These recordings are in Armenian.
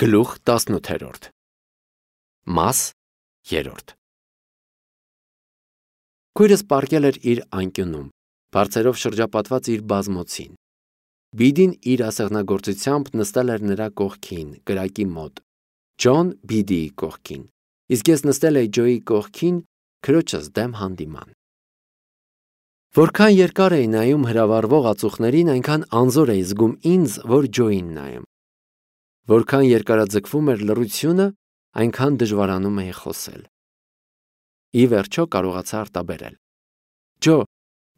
Գլուխ 18 Մաս 3 Քույրս պառկել էր իր անկյունում, բարձերով շրջապատված իր բազմոցին։ Բիդին իր ասեղնագործությամբ նստել էր նրա կողքին, կրակի մոտ, Ջոն Բիդիի կողքին, իսկ ես նստել էի Ջոյի կողքին, քրոջս դեմ հանդիման։ Որքան երկար էի նայում հրավառվող ածուխներին, այնքան անզոր էի զգում ինձ, որ Ջոյին նայեմ։ Որքան երկարաձգվում էր լռությունը, այնքան դժվարանում էի խոսել։ Ի վերջո կարողացա արտաբերել. Ջո,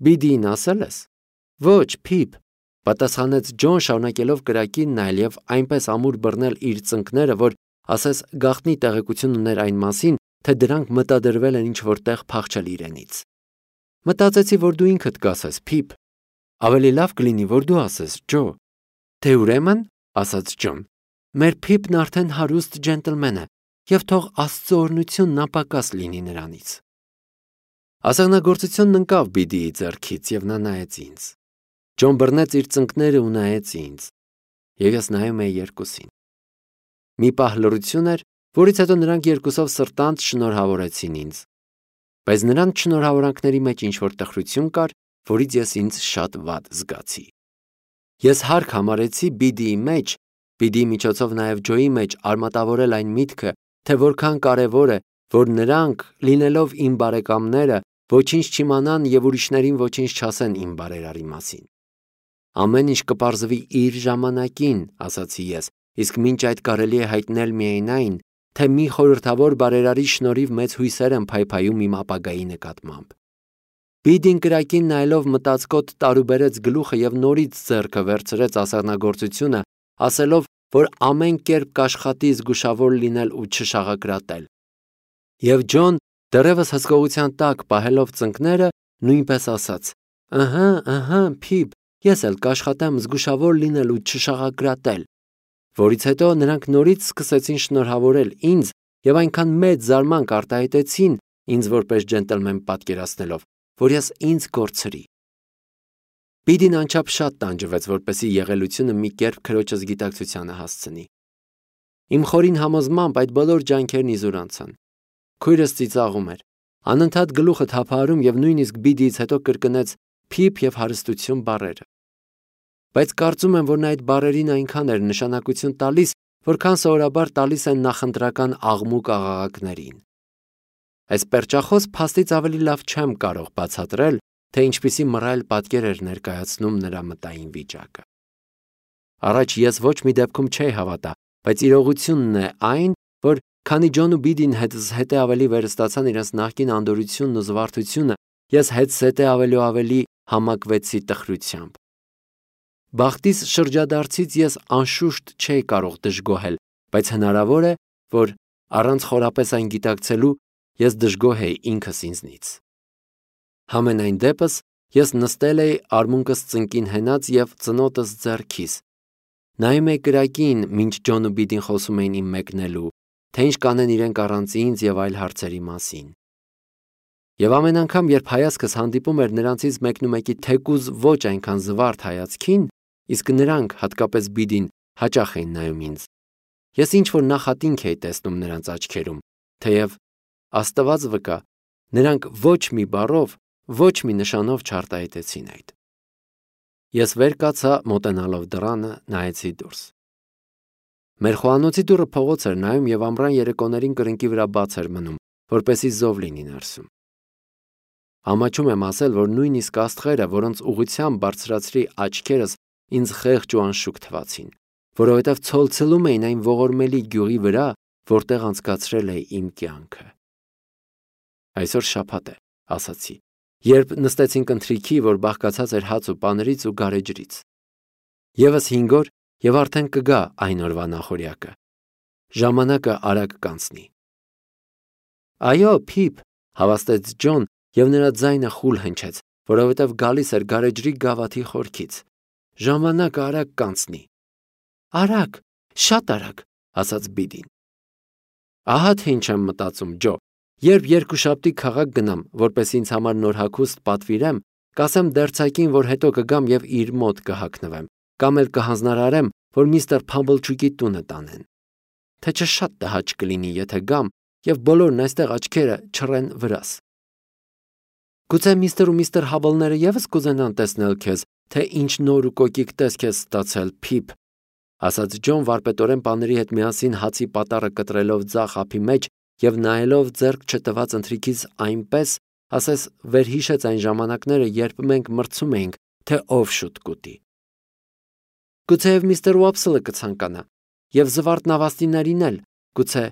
Բիդիին ասել ես։ Ոչ, Փիփ, պատասխանեց Ջոն, շարունակելով կրակին նայել եւ այնպես ամուր բռնել իր ծնկները, որ ասես գաղտնի տեղեկություն ուներ այն մասին, թե դրանք մտադրվել են ինչ-որ տեղ փախչել իրենից։ Մտածեցի, որ դու ինքդ կասես, Փիփ։ Ավելի լավ կլինի, որ դու ասես, Ջո։ Թե ուրեմն, ասաց Ջոն, մեր Փիփն արդեն հարուստ ջենտլմեն է, եւ թող Աստծո օրհնությունն ապակաս լինի նրանից։ Ասեղնագործությունն ընկավ Բիդիի ձեռքից եւ նա նայեց ինձ։ Ջոն բռնեց իր ծնկները ու նայեց ինձ, եւ ես նայում էի երկուսին։ Մի պահ լռություն էր, որից հետո նրանք երկուսով սրտանց շնորհավորեցին ինձ։ Բայց նրանց շնորհավորանքների մեջ ինչ-որ տխրություն կար, որից ես ինձ շատ վատ զգացի։ Ես հարկ համարեցի Բիդիի մեջ, Բիդիի միջոցով նաև Ջոյի մեջ արմատավորել այն միտքը, թե որքան կարևոր է, որ նրանք, լինելով իմ բարեկամները, ոչինչ չիմանան եւ ուրիշներին ոչինչ չասեն իմ բարերարի մասին։ Ամեն ինչ կպարզվի իր ժամանակին, ասացի ես, իսկ մինչ այդ կարելի է հայտնել միայն այն, թե մի խորհրդավոր բարերարի շնորհիվ մեծ հույսեր են փայփայում իմ ապագայի նկատմամբ։ Բիդին կրակին նայելով մտածկոտ տարուբերեց գլուխը եւ նորից ձեռքը վերցրեց ասեղնագործությունը, ասելով, որ ամեն կերպ կաշխատի զգուշավոր լինել ու չշաղակրատել։ Եվ Ջոն, դեռևս հսկողության տակ պահելով ծնկները, նույնպես ասաց. Ահա, Փիփ, ես էլ կաշխատեմ զգուշավոր լինել ու չշաղակրատել։ Որից հետո նրանք նորից սկսեցին շնորհավորել ինձ եւ այնքան մեծ զարմանք արտահայտեցին ինձ որպես ջենտլմեն պատկերացնելով, որ ես ինձ կորցրի։ Բիդին անչափ շատ տանջվեց, որպեսզի եղելությունը մի կերպ քրոջս գիտակցությանը հասցնի։ Իմ խորին համոզմամբ այդ բոլոր ջանքերն իզուր անցան։ Քույրս ծիծաղում էր, անընդհատ գլուխը թափահարում եւ նույնիսկ Բիդիից հետո կրկնեց Փիփ եւ հարստություն բառերը։ Բայց կարծում եմ, որ նա այդ բառերին այնքան էր նշանակություն տալիս, որքան սովորաբար տալիս են նախընտրական աղմուկ աղաղակներին։ Այս պերճախոս փաստից ավելի լավ չեմ կարող բացատրել, թե ինչպիսի մռայլ պատկեր էր ներկայացնում նրա մտային վիճակը։ Առաջ ես ոչ մի դեպքում չէի հավատա, բայց իրողությունն է այն, որ քանի Ջոն ու Բիդին հետզհետե ավելի վերստացան իրենց նախկին անդորությունն ու զվարթությունը, ես հետզհետե ավելի ու ավելի համակվեցի տխրությամբ։ Բախտիս շրջադարձից ես անշուշտ չէի կարող դժգոհել, բայց հնարավոր է, որ առանց խորապես այն գիտակցելու ես դժգոհ էի ինքս ինձնից։ Համենայն դեպս ես նստել էի արմունկս ծնկին հենած եւ ծնոտս ձեռքիս։ Նայում էի կրակին, մինչ Ջոն ու Բիդին խոսում էին իմ մեկնելու, թե ինչ կանեն իրենք առանց ինձ եւ այլ հարցերի մասին։ Եվ ամեն անգամ, երբ հայացքս հանդիպում էր նրանցից մեկնումեկի թեկուզ ոչ այնքան զվարթ հայացքին, իսկ նրանք, հատկապես Բիդին, հաճախ էին նայում ինձ, ես ինչ-որ նախատինք էի տեսնում նրանց աչքերում, թեև Աստված վկա, նրանք ոչ մի բառով, ոչ մի նշանով չարտահայտեցին այդ։ Ես վեր կացա, մոտենալով դռանը, նայեցի դուրս։ Մեր խոհանոցի դուռը փողոց էր նայում եւ ամռան երեկոներին կրկնակի վրա բաց էր մնում, որպեսզի զով լինի ներսում։ Ամաչում եմ ասել, որ նույնիսկ աստղերը, որոնց ուղղությամբ բարձրացրի աչքերս, ինձ խեղճ ու անշուք թվացին, որովհետև ցոլցլում էին այն ողորմելի գյուղի վրա, որտեղ անցկացրել էի իմ կյանքը։ Այսօր շաբաթ է, ասացի, երբ նստեցինք ընթրիքի, որ բաղկացած էր հաց ու պաներից ու գարեջրից։ Եվս 5 օր եւ արդեն կգա այն օրվա նախօրյակը։ Ժամանակը արագ կանցնի։ Այո, Փիփ, հավաստեց Ջոն եւ նրա ձայնը խուլ հնչեց, որովհետեւ գալիս էր գարեջրի գավաթի խորքից։ Ժամանակը արագ կանցնի։ Արագ, շատ արագ, ասաց Բիդին։ Ահա թե ինչ եմ մտածում, Ջո։ Երբ երկուշաբթի քաղաք գնամ, որպես ինձ համար նոր հագուստ պատվիրեմ, կասեմ դերձակին, որ հետո կգամ եւ իր մոտ կհագնվեմ, կամ էլ կհանձնարարեմ, որ միստր Փամբլչուկի տունը տանեն։ թե չշատ տհաճ կլինի, եթե գամ եւ բոլորն այստեղ աչքերը չռեն վրաս։ Գուցե միստր ու միստր Հաբլները եւս կուզենան տեսնել քեզ, թե ինչ նոր ու կոկիկ տեսք ես ստացել, Փիփ, ասաց Ջոն վարպետորեն պաների հետ միասին հացի պատառը կտրելով ձախ ափի մեջ եւ նայելով ձեռք չտված ընթրիքից այնպես, ասես վերհիշեց այն ժամանակները, երբ մենք մրցում էինք, թե ով շուտ կուտի։ Գուցեև միստր Ուապսլը կցանկանա եւ զվարթ նավաստիներին էլ, գուցե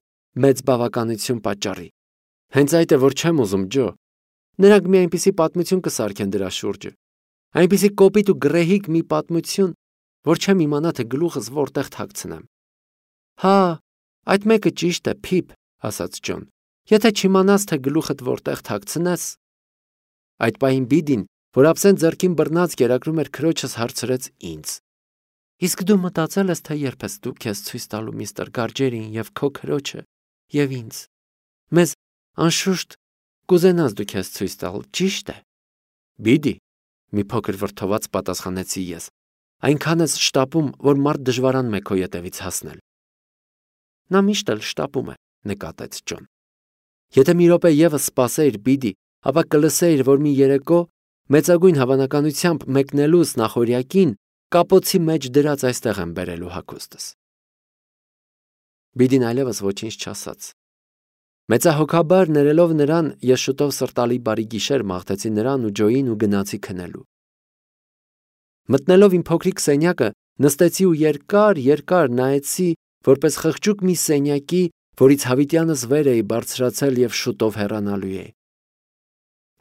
մեծ բավականություն պատճառի։ Հենց այդ է, որ չեմ ուզում, Ջո։ Նրանք մի այնպիսի պատմություն կսարքեն դրա շուրջը, այնպիսի կոպիտ ու գրեհիկ մի պատմություն, որ չեմ իմանա, թե գլուխս որտեղ թաքցնեմ։ Հա, այդ մեկը ճիշտ է, Փիփ, ասաց Ջոն։ Եթե չիմանաս, թե գլուխդ որտեղ թաքցնես։ Այդ պահին Բիդին, որ ափսեն ձեռքին բռնած կերակրում էր քրոջս, հարցրեց ինձ. Իսկ դու մտածել ես, թե երբ ես դու քեզ ցույց տալու միստր Գարջերին եւ քո քրոջը եւ ինձ։ Մեզ անշուշտ կուզենաս դու քեզ ցույց տալ, ճիշտ է։ Բիդի, մի փոքր վրդոված պատասխանեցի ես։ Այնքան ես շտապում, որ մարդ դժվարանում է քո ետևից հասնել։ Նա միշտ էլ շտապում է, նկատեց Ջոն։ Եթե մի րոպե եւս սպասեիր, Բիդի, ապա կլսեիր, որ մի երեկո մեծագույն հավանականությամբ մեկնելուց նախորյակին կապոցի մեջ դրած այստեղ եմ բերելու հագուստս։ Բիդին այլևս ոչինչ չասաց։ Մեծահոգաբար ներելով նրան, ես շուտով սրտալի բարի գիշեր մաղթեցի նրան ու Ջոյին ու գնացի քնելու։ Մտնելով իմ փոքրիկ սենյակը, նստեցի ու երկար նայեցի, որպես խղճուկ մի սենյակի, որից հավիտյանս վեր էի բարձրացել եւ շուտով հեռանալու էի։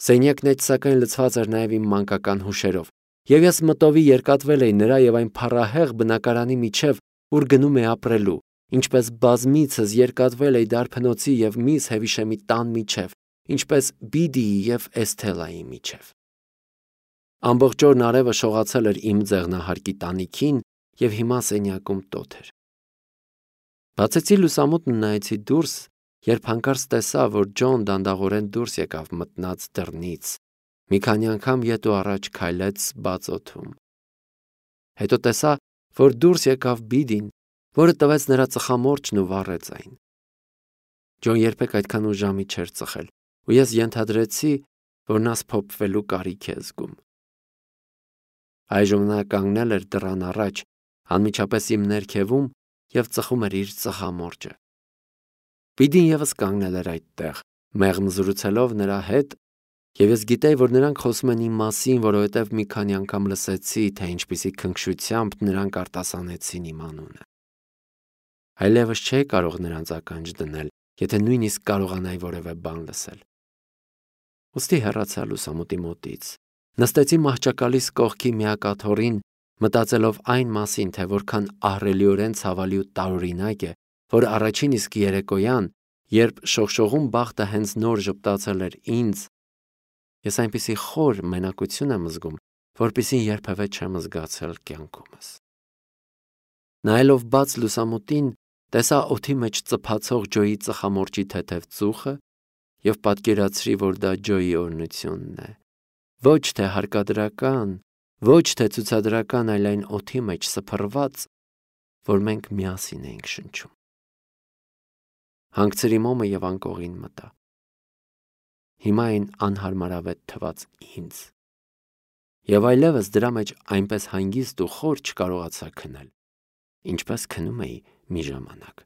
Սենյակն էջ սակայն լցված էր նաեւ իմ մանկական հուշերով, եւ ես մտովի երկատվել էի նրա եւ այն փառահեղ բնակարանի միջև, ուր գնում էի ապրելու, ինչպես բազմիցս երկատվել էի դարբնոցի եւ միս Հևիշեմի տան միջև, ինչպես Բիդիի եւ Էսթելայի միջև։ Ամբողջ օրն արևը շողացել էր իմ ձեղնահարկի տանիքին եւ հիմա սենյակում տոթ էր։ Բացեցի լուսամուտն ու նայեցի դուրս, երբ հանկարծ տեսա, որ Ջոն դանդաղորեն դուրս եկավ մտնած դռնից, մի քանի անգամ ետ ու առաջ քայլեց բաց օդում։ Հետո տեսա, որ դուրս եկավ Բիդին, որը տվեց նրա ծխամորճն ու վառեց այն։ Ջոն երբեք այդքան ուժամի չէր ծխել, ու ես ենթադրեցի, որ նա սփոփվելու կարիք է զգում։ Այժմ նա կանգնել էր դռան առաջ, անմիջապես իմ ներքևում եւ ծխում էր իր ծխամորճը։ Բիդին եւս կանգնել էր այդտեղ, մեղմ զրուցելով նրա հետ, եւ ես գիտեի, որ նրանք խոսում են իմ մասին, որովհետեւ մի քանի անգամ լսեցի, թե ինչպիսի քնքշությամբ նրանք արտասանեցին իմ անունը։ Այլևս չէի կարող նրանց ականջ դնել, եթե նույնիսկ կարողանայի որևէ բան լսել։ Ոստի հեռացա լուսամուտի մոտից։ Նստեցի մահճակալիս կողքի միակաթոռին, մտածելով այն մասին, թե որքան ահռելիորեն ցավալի ու տարօրինակ է, որ առաջին իսկ երեկոյան, երբ շողշողում բախտը հենց նոր ժպտացել էր ինձ, ես այնպիսի խոր մենակություն եմ զգում, որպիսին երբևէ չեմ զգացել կյանքումս։ Նայելով բաց լուսամուտին, տեսա օդի մեջ ծփացող Ջոյի ծխամորճի թեթև ծուխը եւ պատկերացրի, որ դա Ջոյի օրհնությունն է։ Ոչ թե հարկադրական, ոչ թե ցուցադրական, այլ այն օդի մեջ սփռված, որ մենք միասին էինք շնչում։ Հանգցրի մոմը եւ անկողին մտա։ Հիմա այն անհարմարավետ թվաց ինձ։ Եվ այլևս դրա մեջ այնպես հանգիստ ու խոր չկարողացա քնել, ինչպես քնում էի մի ժամանակ։